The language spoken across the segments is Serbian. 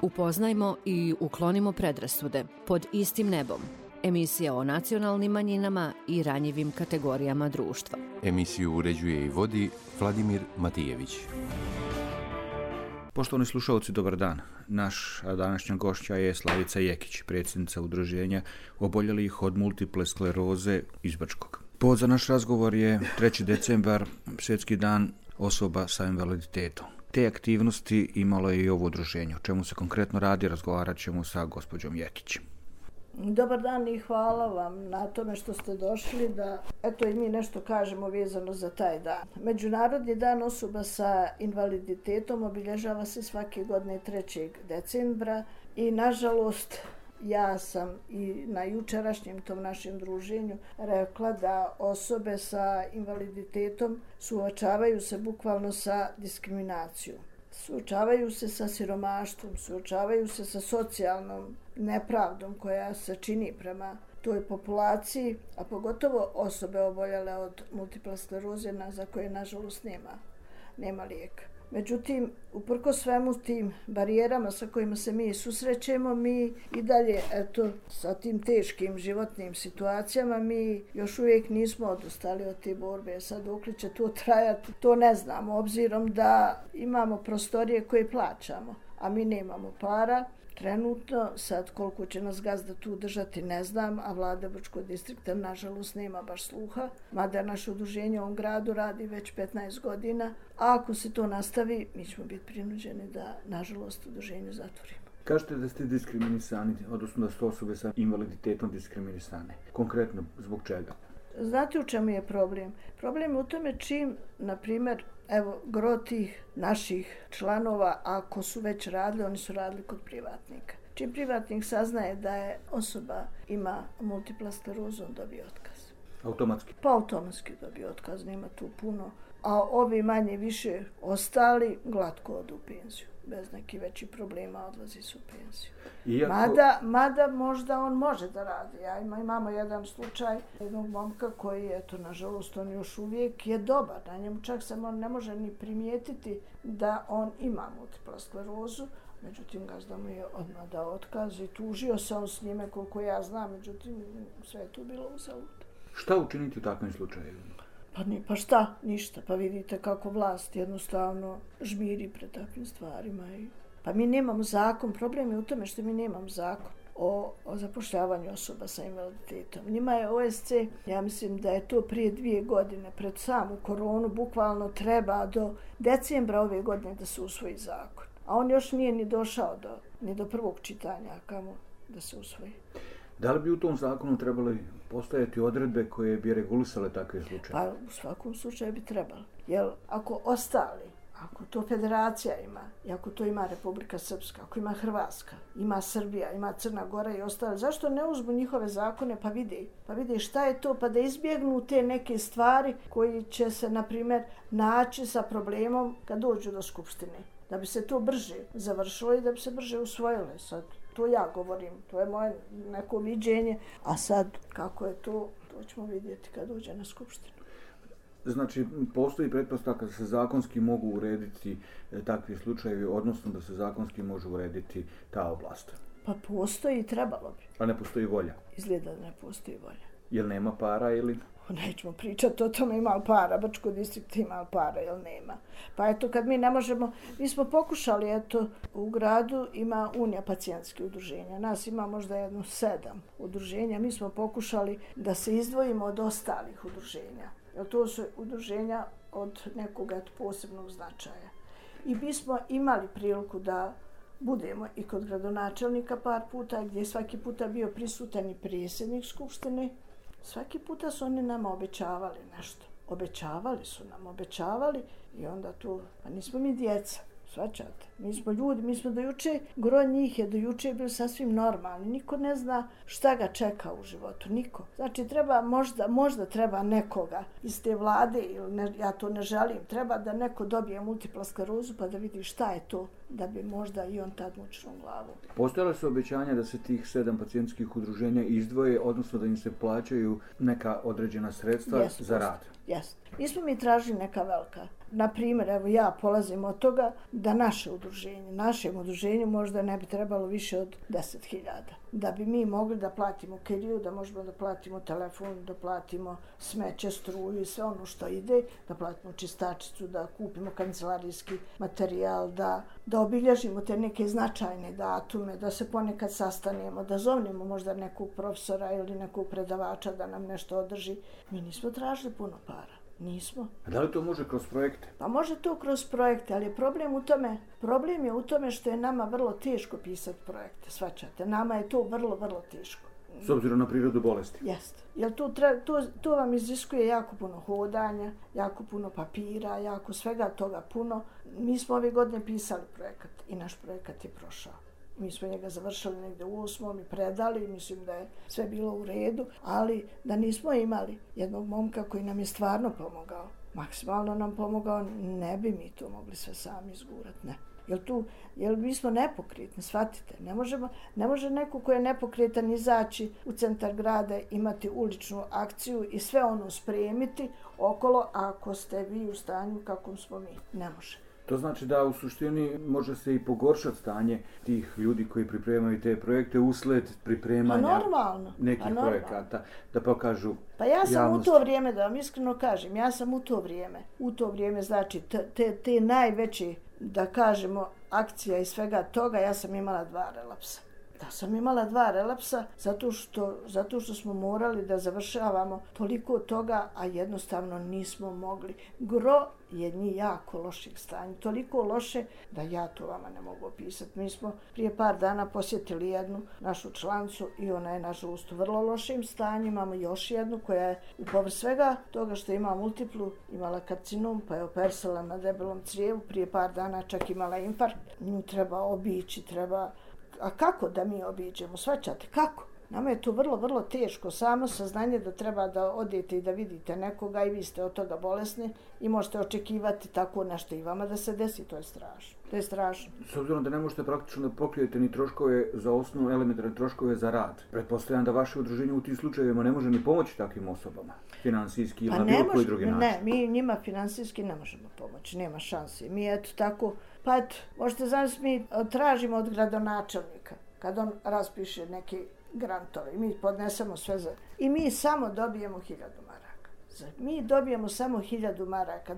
Upoznajmo i uklonimo predrasude pod istim nebom. Emisija o nacionalnim manjinama i ranjivim kategorijama društva. Emisiju uređuje i vodi Vladimir Matijević. Poštovani slušalci, dobar dan. Naša današnja gošća je Slavica Jekić, predsjednica udruženja oboljelih od multiple skleroze iz Brčkog. Povod za naš razgovor je 3. decembar, Svjetski dan osoba sa invaliditetom. Te aktivnosti imalo je i ovo udruženje. O čemu se konkretno radi, razgovarat ćemo sa gospođom Jekić. Dobar dan i hvala vam na tome što ste došli da i mi nešto kažemo vezano za taj dan. Međunarodni dan osoba sa invaliditetom obilježava se svake godine 3. decembra i nažalost ja sam i na jučerašnjem tom našem druženju rekla da osobe sa invaliditetom suočavaju se bukvalno sa diskriminacijom. Suočavaju se sa siromaštvom, suočavaju se sa socijalnom nepravdom koja se čini prema toj populaciji, a pogotovo osobe oboljele od multiple skleroze za koje nažalost nema lijeka. Međutim, uprkos svemu tim barijerama sa kojima se mi susrećemo, mi i dalje, sa tim teškim životnim situacijama, mi još uvijek nismo odustali od te borbe. Sad dokle će to trajati, to ne znamo, obzirom da imamo prostorije koje plaćamo, a mi nemamo para. Trenutno, sad koliko će nas gazda tu držati ne znam, a vlada Brčkog distrikta nažalost nema baš sluha, mada naše udruženje u ovom gradu radi već 15 godina, a ako se to nastavi, mi ćemo biti prinuđeni da nažalost udruženje zatvorimo. Kažete da ste diskriminisani, odnosno da su osobe sa invaliditetom diskriminisane. Konkretno, zbog čega? Znate u čemu je problem? Problem je u tome čim, na primjer, gro tih naših članova, ako su već radili, oni su radili kod privatnika. Čim privatnik saznaje da je osoba ima multipla sklerozu, on dobije otkaz. Automatski? Pa automatski dobije otkaz, nema tu puno. A ovi manje više ostali glatko odu u penziju. Bez nekih većih problema odlazi su u penziju. Mada možda on može da radi. Imamo jedan slučaj jednog momka koji je, nažalost, on još uvijek je dobar. Na njemu čak se on ne može ni primijetiti da on ima multipla sklerozu. Međutim, gazda mu je odmah dao otkaz i tužio se on s njime koliko ja znam. Međutim, sve je tu bilo uzalud. Šta učiniti u takvim slučajevima? Pa šta? Ništa. Pa vidite kako vlast jednostavno žmiri pred takvim stvarima. Pa mi nemamo zakon. Problem je u tome što mi nemamo zakon o zapošljavanju osoba sa invaliditetom. Njima je OSC, ja mislim da je to prije 2 godine, pred samu koronu, bukvalno treba do decembra ove godine da se usvoji zakon. A on još nije ni došao ni do prvog čitanja, kamo da se usvoji. Da li bi u tom zakonu trebali postojati odredbe koje bi regulisale takve slučaje? Pa u svakom slučaju bi trebalo. Jer ako ostali, ako to federacija ima, i ako to ima Republika Srpska, ako ima Hrvatska, ima Srbija, ima Crna Gora i ostali, zašto ne uzmu njihove zakone pa vide šta je to, pa da izbjegnu te neke stvari koji će se, na primjer, naći sa problemom kad dođu do skupštine. Da bi se to brže završilo i da bi se brže usvojilo. Sad, to ja govorim, to je moje neko viđenje, a sad kako je to ćemo vidjeti kad dođe na skupštinu. Znači, postoji pretpostavka da se zakonski mogu urediti takvi slučajevi, odnosno da se zakonski može urediti ta oblast? Pa postoji i trebalo bi. A ne postoji volja? Izgleda da ne postoji volja. Jel nema para ili? Nećemo pričati o tome ima li para, Brčko distrikt ima li para ili nema. Pa kad mi ne možemo, mi smo pokušali, u gradu ima Unija pacijentskih udruženja, nas ima možda 7 udruženja, mi smo pokušali da se izdvojimo od ostalih udruženja, jer to su udruženja od nekog posebnog značaja. I mi smo imali priliku da budemo i kod gradonačelnika par puta, gdje je svaki puta bio prisutan i predsjednik skupštine. Svaki puta su oni nama obećavali nešto. Obećavali i onda tu, pa nismo mi djeca, shvaćate. Mi smo ljudi, mi smo do juče, gro njih je do juče bio sasvim normalni. Niko ne zna šta ga čeka u životu, niko. Znači treba možda treba nekoga iz te vlade, ja to ne želim, treba da neko dobije multipla sklerozu pa da vidi šta je to, da bi možda i on tad mučio glavu. Postojala su obećanja da se tih 7 pacijentskih udruženja izdvoje, odnosno da im se plaćaju neka određena sredstva za rad? Jeste. Nismo mi tražili neka velika. Na primjer, evo ja polazim od toga da našem udruženju možda ne bi trebalo više od 10.000. Da bi mi mogli da platimo kiriju, da možemo da platimo telefon, da platimo smeće, struju i sve ono što ide, da platimo čistačicu, da kupimo kancelarijski materijal, da obilježimo te neke značajne datume, da se ponekad sastanemo, da zovnemo možda nekog profesora ili nekog predavača da nam nešto održi. Mi nismo tražili puno para. Nismo. A da li to može kroz projekte? Pa može to kroz projekte, ali problem je u tome što je nama vrlo teško pisati projekte, shvaćate. Nama je to vrlo, vrlo teško. S obzirom na prirodu bolesti? Jeste. Jer to vam iziskuje jako puno hodanja, jako puno papira, jako svega toga puno. Mi smo ove godine pisali projekat i naš projekat je prošao. Mi smo njega završili negdje u 8. i predali, mislim da je sve bilo u redu, ali da nismo imali jednog momka koji nam je stvarno pomogao, maksimalno nam pomogao, ne bi mi to mogli sve sami izgurati, ne. Jer mi smo nepokretni, shvatite. Ne može neko ko je nepokretan izaći u centar grada, imati uličnu akciju i sve ono spremiti okolo, ako ste vi u stanju kakvom smo mi. Ne može. To znači da u suštini može se i pogoršati stanje tih ljudi koji pripremaju te projekte usled pripremanja nekih projekata, da pokažu Pa ja sam javnosti. U to vrijeme, da vam iskreno kažem, u to vrijeme znači te najveće, da kažemo, akcija i svega toga, ja sam imala 2 relapsa. Da sam imala 2 relapsa zato što smo morali da završavamo toliko toga, a jednostavno nismo mogli. Gro je njih jako loših stanja, toliko loše da ja to vama ne mogu opisati. Mi smo prije par dana posjetili jednu našu člancu i ona je nažalost u vrlo lošim stanju. Imamo još jednu koja je u povrh svega toga što ima multiplu, imala karcinom pa je operisala na debelom crijevu, prije par dana čak imala infarkt. Nju treba obići, A kako da mi obiđemo? Shvaćate? Kako? Nama je to vrlo, vrlo teško. Samo saznanje da treba da odete i da vidite nekoga i vi ste od toga bolesni i možete očekivati tako nešto i vama da se desi. To je strašno. To je strašno. S obzirom da ne možete praktično da pokrijete ni troškove za osnovu, elementarne troškove za rad, pretpostavljam da vaše udruženje u tim slučajevima ne može ni pomoći takvim osobama, finansijski ili na bilo koji drugi način. Ne, mi njima finansijski ne možemo pomoći, nema šanse. Mi eto tako, pa eto, možete zamisliti, mi tražimo od gradonačelnika, kad on raspiše neke grantove i mi podnesemo sve za... I mi samo dobijemo 1000 maraka. Mi dobijemo samo 1000 maraka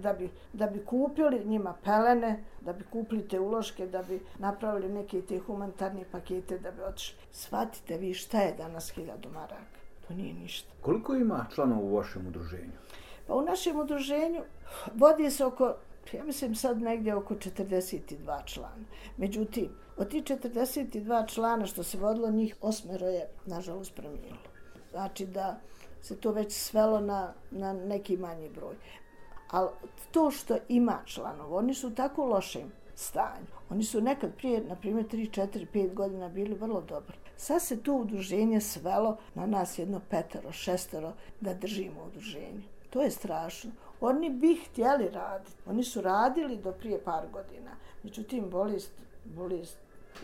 da bi kupili njima pelene, da bi kupili te uloške, da bi napravili neke te humanitarne pakete, da bi otišli. Shvatite vi šta je danas 1000 maraka. To nije ništa. Koliko ima članova u vašem udruženju? Pa u našem udruženju vodi se ja mislim sad negdje oko 42 člana. Međutim, od tih 42 člana što se vodilo, njih 8 je, nažalost, preminulo. Znači da se to već svelo na neki manji broj. Ali to što ima članova, oni su u tako lošem stanju. Oni su nekad prije, na primjer, 3, 4, 5 godina bili vrlo dobri. Sad se to udruženje svelo na nas 5, 6 da držimo udruženje. To je strašno. Oni bi htjeli raditi. Oni su radili do prije par godina. Međutim, bolest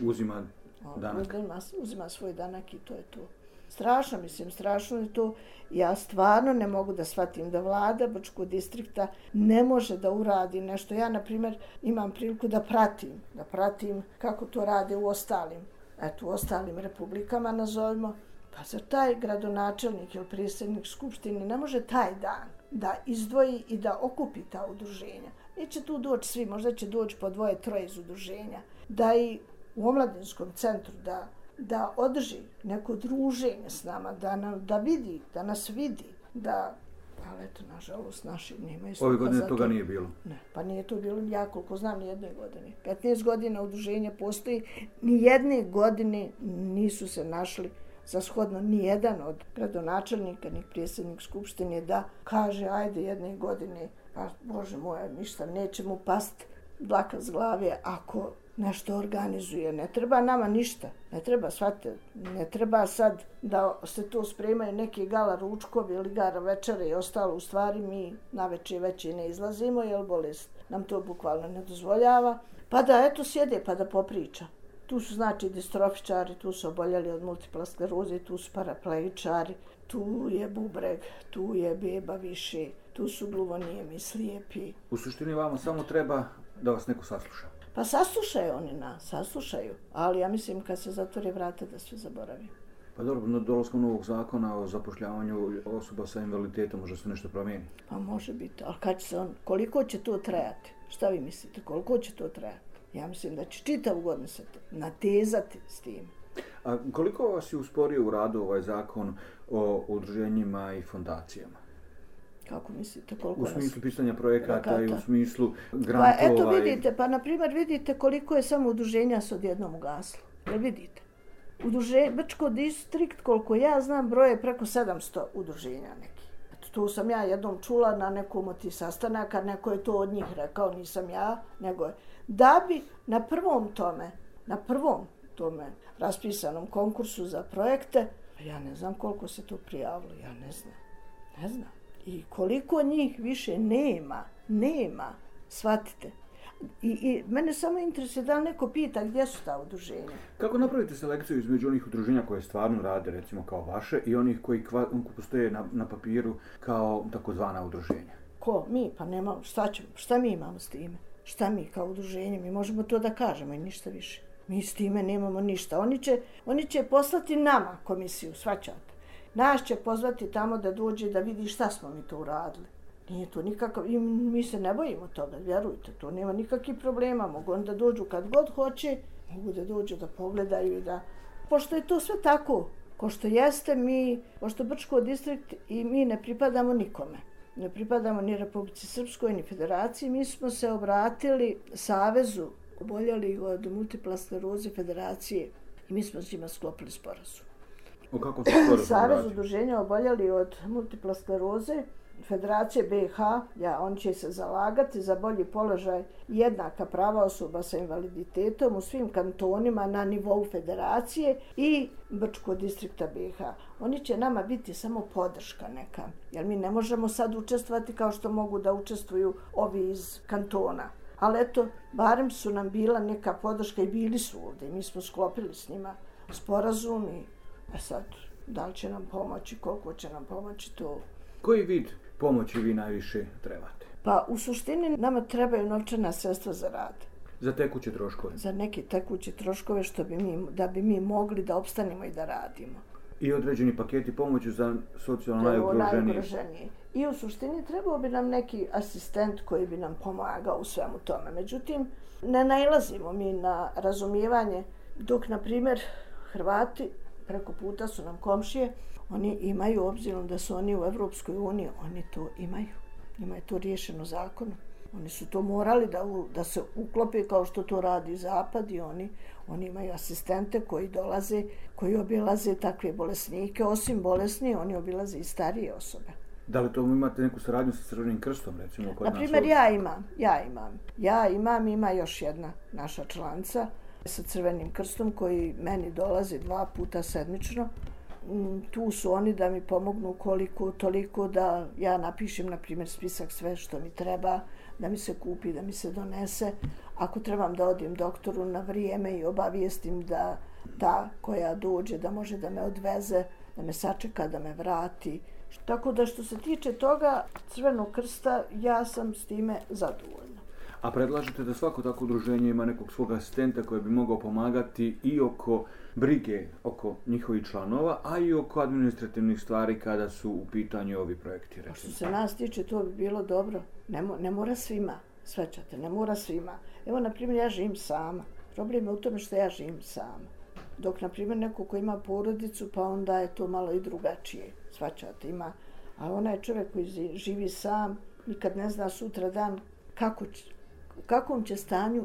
uzima danak. Uzima svoj danak i to je to. Strašno je to. Ja stvarno ne mogu da shvatim da vlada Brčkog distrikta ne može da uradi nešto. Ja, na primjer, imam priliku da pratim kako to rade u ostalim republikama, nazovimo. Pa zar taj gradonačelnik ili predsjednik skupštine ne može taj dan da izdvoji i da okupi ta udruženja? Neće tu doći svi, možda će doći po 2, 3 iz udruženja. Da i u omladinskom centru da održi neko druženje s nama, da nas vidi, ali eto, nažalost, naši nemaju sluha. Ove godine toga nije bilo? Ne, pa nije to bilo, ja koliko znam, ni jedne godine. 15 godina udruženja postoji, ni jedne godine nisu se našli za shodno nijedan od gradonačelnika, ni predsjednik skupštine da kaže ajde jedne godine, pa Bože moja, ništa, neće mu pasti dlaka s glave ako nešto organizuje. Ne treba nama ništa, ne treba sad da se to spremaju neki gala ručkovi ili gara večere i ostalo. U stvari mi navečer već i ne izlazimo jer bolest nam to bukvalno ne dozvoljava. Pa da eto sjede pa da popriča. Tu su znači distrofičari, tu su oboljeli od multiple skleroze, tu su paraplegičari, tu je bubreg, tu je beba više, tu su gluvonijemi, slijepi. U suštini vama samo treba da vas neko sasluša. Pa saslušaju oni nas, saslušaju. Ali ja mislim kad se zatvori vrata da sve zaboravi. Pa dobro, na dolaskom novog zakona o zapošljavanju osoba sa invaliditetom može se nešto promijeniti. Pa može biti, ali kad će se koliko će to trajati? Šta vi mislite, koliko će to trajati? Ja mislim da će čitavu godinu se natezati s tim. A koliko vas je usporio u radu ovaj zakon o udruženjima i fondacijama? Kako mislite, koliko u smislu pisanja projekata i u smislu grantova? Pa eto vidite, pa na primjer vidite koliko je samo udruženja s odjednom ugaslo. Jel vidite? Brčko distrikt, koliko ja znam, broje preko 700 udruženja nekih. Eto, tu sam ja jednom čula na nekom od tih sastanaka, neko je to od njih rekao, nisam ja, nego je. Da bi na prvom tome raspisanom konkursu za projekte, ja ne znam koliko se to prijavilo, ja ne znam. I koliko njih više nema, shvatite. I mene samo interesuje da li neko pita gdje su ta udruženja. Kako napravite selekciju između onih udruženja koje stvarno rade, recimo kao vaše, i onih koji postoje na papiru kao takozvana udruženja? Ko? Mi? Pa nema, šta mi imamo s time? Šta mi kao udruženje? Mi možemo to da kažemo i ništa više. Mi s time nemamo ništa. Oni će poslati nama komisiju, shvaćate. Nas će pozvati tamo da dođe da vidi šta smo mi to uradili. Nije to nikakav, i mi se ne bojimo toga, vjerujte, to nema nikakvih problema. Mogu oni da dođu kad god hoće, mogu da dođu da pogledaju i da... Pošto je to sve tako, ko što jeste, pošto Brčko distrikt i mi ne pripadamo nikome. Ne pripadamo ni Republici Srpskoj, ni Federaciji. Mi smo se obratili Savezu oboljelih od multiple skleroze Federacije i mi smo s njima sklopili sporazum. O kakvom se sporazumu Savez udruženja oboljeli od multiple skleroze Federacije BiH, on će se zalagati za bolji položaj i jednaka prava osoba sa invaliditetom u svim kantonima na nivou federacije i Brčkog distrikta BiH. Oni će nama biti samo podrška neka, jer mi ne možemo sad učestvovati kao što mogu da učestvuju ovi iz kantona. Ali eto, barem su nam bila neka podrška i bili su ovdje. Mi smo sklopili s njima sporazum i sad, da li će nam pomoći, koliko će nam pomoći to. Koji vid pomoći vi najviše trebate? Pa u suštini nama trebaju novčana sredstva za rad. Za tekuće troškove? Za neke tekuće troškove da bi mi mogli da opstanemo i da radimo. I određeni paketi pomoći za socijalno najugroženije. I u suštini trebao bi nam neki asistent koji bi nam pomagao u svemu tome. Međutim, ne nailazimo mi na razumijevanje dok, na primjer, Hrvati preko puta su nam komšije, oni imaju, obzirom da su oni u Evropskoj uniji, oni to imaju. Njima je to riješeno zakonom. Oni su to morali da se uklope kao što to radi Zapad i oni imaju asistente koji dolaze, koji obilaze takve bolesnike. Osim bolesni, oni obilaze i starije osobe. Da li to imate neku saradnju sa Crvenim krstom, recimo? Naprimjer, ja imam, ima još jedna naša članica sa Crvenim krstom koji meni dolazi 2 puta sedmično. Tu su oni da mi pomognu koliko, toliko da ja napišem, na primjer, spisak sve što mi treba, da mi se kupi, da mi se donese. Ako trebam da odim doktoru na vrijeme i obavijestim da ta koja dođe da može da me odveze, da me sačeka, da me vrati. Tako da što se tiče toga Crvenog krsta, ja sam s time zadovoljna. A predlažete da svako tako udruženje ima nekog svog asistenta koji bi mogao pomagati i oko brige oko njihovih članova, a i oko administrativnih stvari kada su u pitanju ovi projekti. Recimo. Što se nas tiče, to bi bilo dobro. Ne mora svima, shvaćate, ne mora svima. Evo, na primjer, ja živim sama. Problem je u tome što ja živim sama. Dok, na primjer, neko ko ima porodicu, pa onda je to malo i drugačije, shvaćate, ima. A onaj čovjek koji živi sam, nikad ne zna sutra dan u kakvom će stanju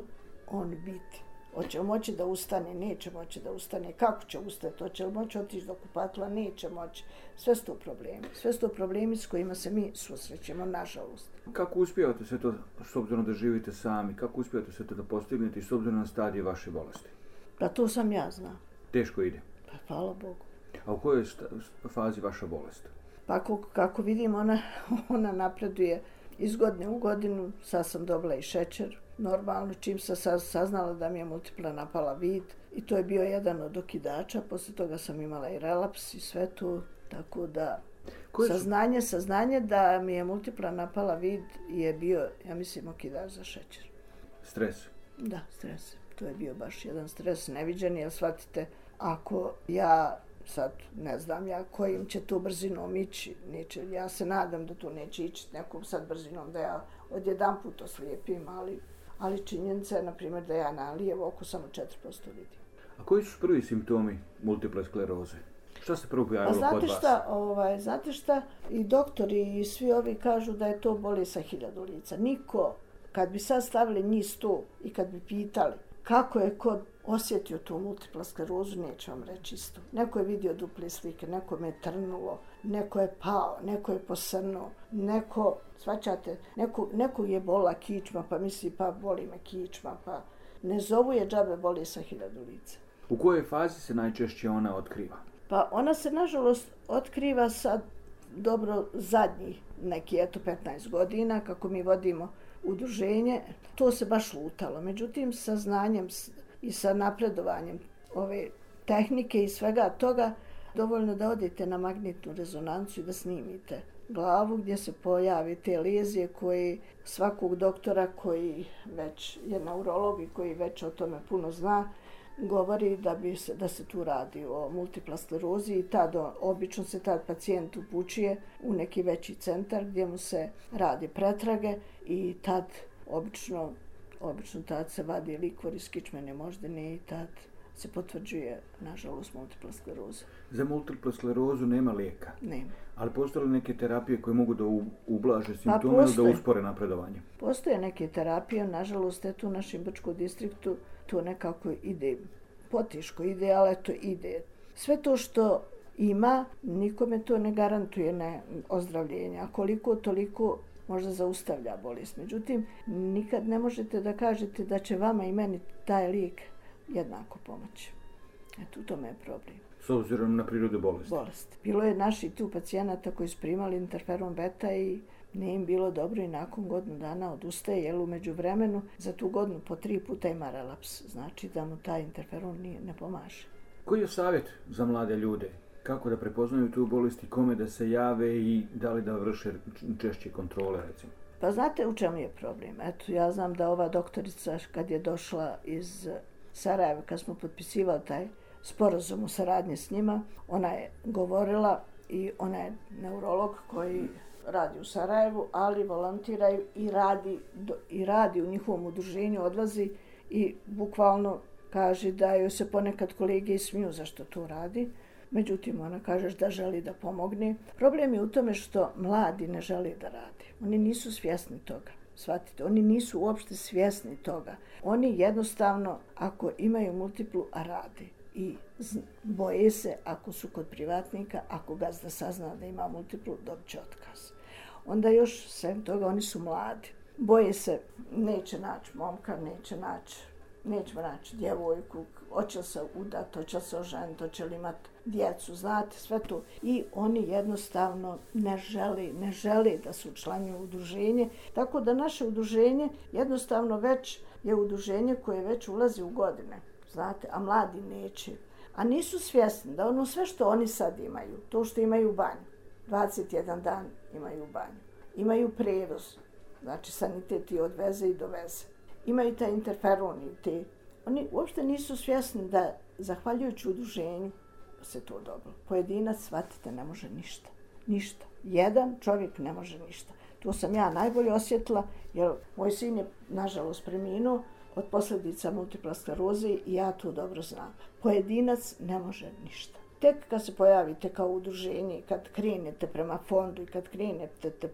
on biti. Hoće moći da ustane, neće moći da ustane, kako će ustati, hoće li moći otići do kupatila, neće moći. Sve su to problemi. Sve su to problemi s kojima se mi susrećemo, nažalost. Kako uspijevate sve to, s obzirom da živite sami, kako uspijevate sve to da postignete i s obzirom na stadije vaše bolesti? Pa to sam ja zna. Teško ide? Pa hvala Bogu. A u kojoj fazi vaša bolest? Pa kako vidim, ona napreduje iz godine u godinu. Sad sam dobila i šećer. Normalno, čim sam saznala da mi je multipla napala vid i to je bio jedan od okidača, poslije toga sam imala i relaps i sve to, tako da... Saznanje da mi je multipla napala vid je bio, ja mislim, okidač za šećer. Stres? Da, stres. To je bio baš jedan stres neviđen, jer shvatite, ako ja sad ne znam ja kojim će tu brzinom ići, neće, ja se nadam da tu neće ići nekom sad brzinom da ja odjedanput oslijepim, ali činjenica je, na primjer, da ja na lijevo oko samo 4% vidim. A koji su prvi simptomi multiple skleroze? Šta se prvo pojavilo kod vas? Znate šta, i doktori i svi ovi kažu da je to bolest sa 1000 lica. Niko, kad bi sad stavili njih 100 i kad bi pitali kako je ko osjetio tu multipla sklerozu, neće vam reći isto. Neko je vidio duple slike, neko me je trnulo, neko je pao, neko je posrnuo, neko, svačate, nekog je bola kičma, pa misli pa boli me kičma, pa ne zovu je džabe bolest sa 1000 lica. U kojoj fazi se najčešće ona otkriva? Pa ona se, nažalost, otkriva sad dobro zadnjih neki 15 godina, kako mi vodimo udruženje. To se baš lutalo. Međutim, sa znanjem i sa napredovanjem ove tehnike i svega toga, dovoljno da odete na magnetnu rezonancu i da snimite glavu gdje se pojave te lezije koji svakog doktora koji već je neurolog i koji već o tome puno zna, govori da se tu radi o multipla sklerozi i obično se tad pacijent upućuje u neki veći centar gdje mu se radi pretrage i tad obično tad se vadi likvor iz kičmene moždine i tad se potvrđuje, nažalost, multipla skleroza. Za multiplu sklerozu nema lijeka? Nema. Ali postoje li neke terapije koje mogu da ublaže simptome ili da uspore napredovanje? Postoje neke terapije, nažalost, tu u našem Brčkom distriktu to nekako ide, potiško ide, ali to ide. Sve to što ima, nikome to ne garantuje ozdravljenje, a koliko toliko možda zaustavlja bolest. Međutim, nikad ne možete da kažete da će vama i meni taj lijek jednako pomoći. Eto, u tome je problem. S obzirom na prirodu bolesti? Bolesti. Bilo je naših tu pacijenata koji su primali interferon beta i nije im bilo dobro i nakon godinu dana odustaje, jer u međuvremenu za tu godinu po 3 puta ima relaps. Znači da mu taj interferon ne pomaže. Koji je savjet za mlade ljude? Kako da prepoznaju tu bolest i kome da se jave i da li da vrše češće kontrole, recimo? Pa znate u čemu je problem? Eto, ja znam da ova doktorica kad je došla iz Sarajeva, kad smo potpisivali taj sporazum u saradnji s njima, ona je govorila i ona je neurolog koji radi u Sarajevu, ali volontira i radi u njihovom udruženju, odlazi i bukvalno kaže da joj se ponekad kolege smiju zašto to radi. Međutim, ona kaže da želi da pomogne. Problem je u tome što mladi ne žele da rade. Oni nisu svjesni toga. Shvatite, oni nisu uopšte svjesni toga. Oni jednostavno, ako imaju multiplu, a rade. I boje se, ako su kod privatnika, ako gazda sazna da ima multiplu, dobit će otkaz. Onda još sem toga, oni su mladi. Boje se, neće naći momka, nećemo naći djevojku, hoće li se udati, hoće li se oženiti, hoće li imati djecu, znate, sve to. I oni jednostavno ne žele da se učlanjuju u udruženje. Tako da naše udruženje jednostavno već je udruženje koje već ulazi u godine, znate, a mladi neće. A nisu svjesni da ono sve što oni sad imaju, to što imaju banju, 21 dan imaju banju, imaju prevoz, znači sanitet i odveze i doveze. Imaju taj interferon i te. Oni uopšte nisu svjesni da, zahvaljujući udruženju, se to dobro. Pojedinac, shvatite, ne može ništa. Ništa. Jedan čovjek ne može ništa. To sam ja najbolje osjetila, jer moj sin je, nažalost, preminuo od posljedica multipla skleroze i ja to dobro znam. Pojedinac ne može ništa. Tek kad se pojavite kao udruženje, kad krenete prema fondu i kad krenete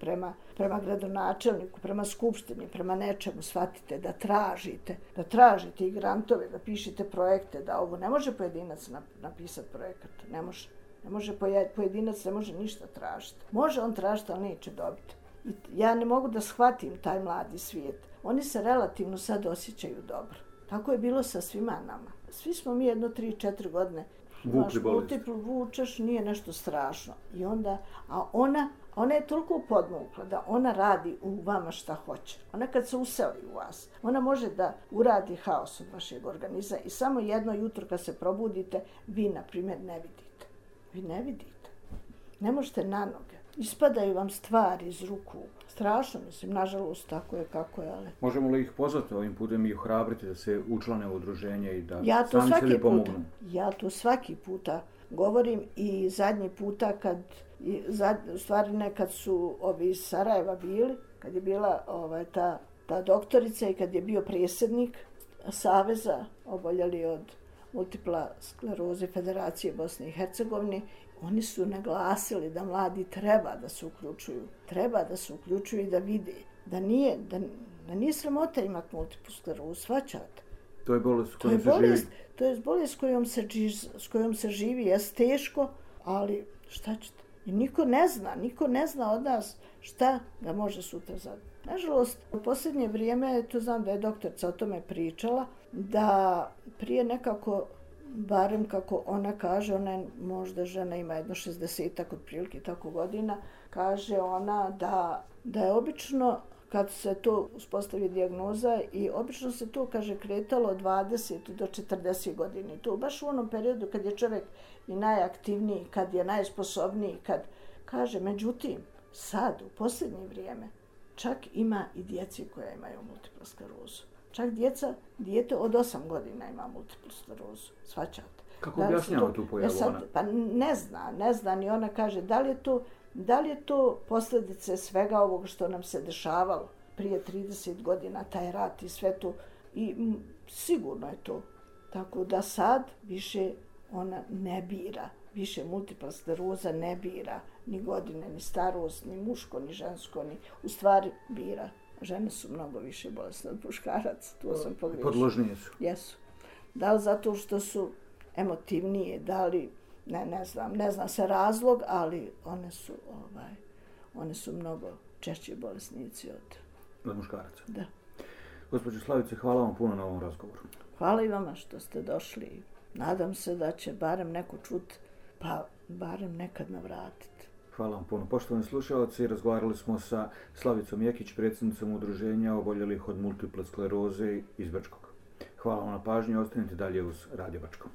prema gradonačelniku, prema skupštini, prema nečemu, shvatite da tražite i grantove, da pišete projekte, da ovo ne može pojedinac napisati projekat, ne može pojedinac, ne može ništa tražiti. Može on tražiti, ali neće dobiti. I ja ne mogu da shvatim taj mladi svijet. Oni se relativno sad osjećaju dobro. Tako je bilo sa svima nama. Svi smo mi 3-4 godine multiplu vučeš, nije nešto strašno. I onda, ona je toliko podmukla da ona radi u vama šta hoće. Ona kad se useli u vas, ona može da uradi haos od vašeg organizma i samo jedno jutro kad se probudite, vi, na primjer, ne vidite. Vi ne vidite. ne možete na noge. Ispadaju vam stvari iz ruku. Strašno, mislim, nažalost, tako je kako je, ali... Možemo li ih pozvati ovim putem i ohrabriti da se učlane u udruženje i da ja to sami sebi pomognu? Ja to svaki puta govorim i zadnji puta kad, u stvari nekad su ovi iz Sarajeva bili, kad je bila ta doktorica i kad je bio predsjednik Saveza oboljeli od multipla skleroze Federacije Bosne i Hercegovine, oni su naglasili da mladi treba da se uključuju i da vide da nije sramota imati multiplu sklerozu, shvaćate. To je bolest s kojom se živi. To je bolest s kojom se živi, je teško, ali šta ćete? I niko ne zna od nas šta ga može sutra zadati. Nažalost, u posljednje vrijeme, to znam da je doktorica o tome pričala, da prije nekako, barem kako ona kaže, ona je možda žena, ima jedno 60-ak otprilike tako godina, kaže ona da je obično kad se to uspostavi dijagnoza i obično se to, kaže, kretalo od 20 do 40 godina. I to baš u onom periodu kad je čovjek i najaktivniji, kad je najsposobniji, kad kaže, međutim, sad, u posljednje vrijeme, čak ima i djeci koja imaju multiplu sklerozu. Čak dijete od 8 godina ima multiplu sklerozu, shvaćate. Kako objašnjava tu pojavu ona? Pa ne zna, ni ona kaže da li je to posljedice svega ovog što nam se dešavalo prije 30 godina, taj rat i sve to. I sigurno je to. Tako da sad više ona ne bira. Više multipla skleroza ne bira ni godine, ni starost, ni muško, ni žensko, u stvari bira. Žene su mnogo više bolesne od muškaraca, to sam pogriješila. Podložnije su. Jesu. Da li zato što su emotivnije, da li, ne zna se razlog, ali one su mnogo češći bolesnici od muškaraca. Da. Gospođo Slavice, hvala vam puno na ovom razgovoru. Hvala i vama što ste došli. Nadam se da će barem neko čut, pa barem nekad navratiti. Hvala vam puno. Poštovani slušalci, razgovarali smo sa Slavicom Jekić, predsjednicom udruženja oboljelih od multiple skleroze iz Brčkog. Hvala vam na pažnji, ostanite dalje uz Radio Brčko.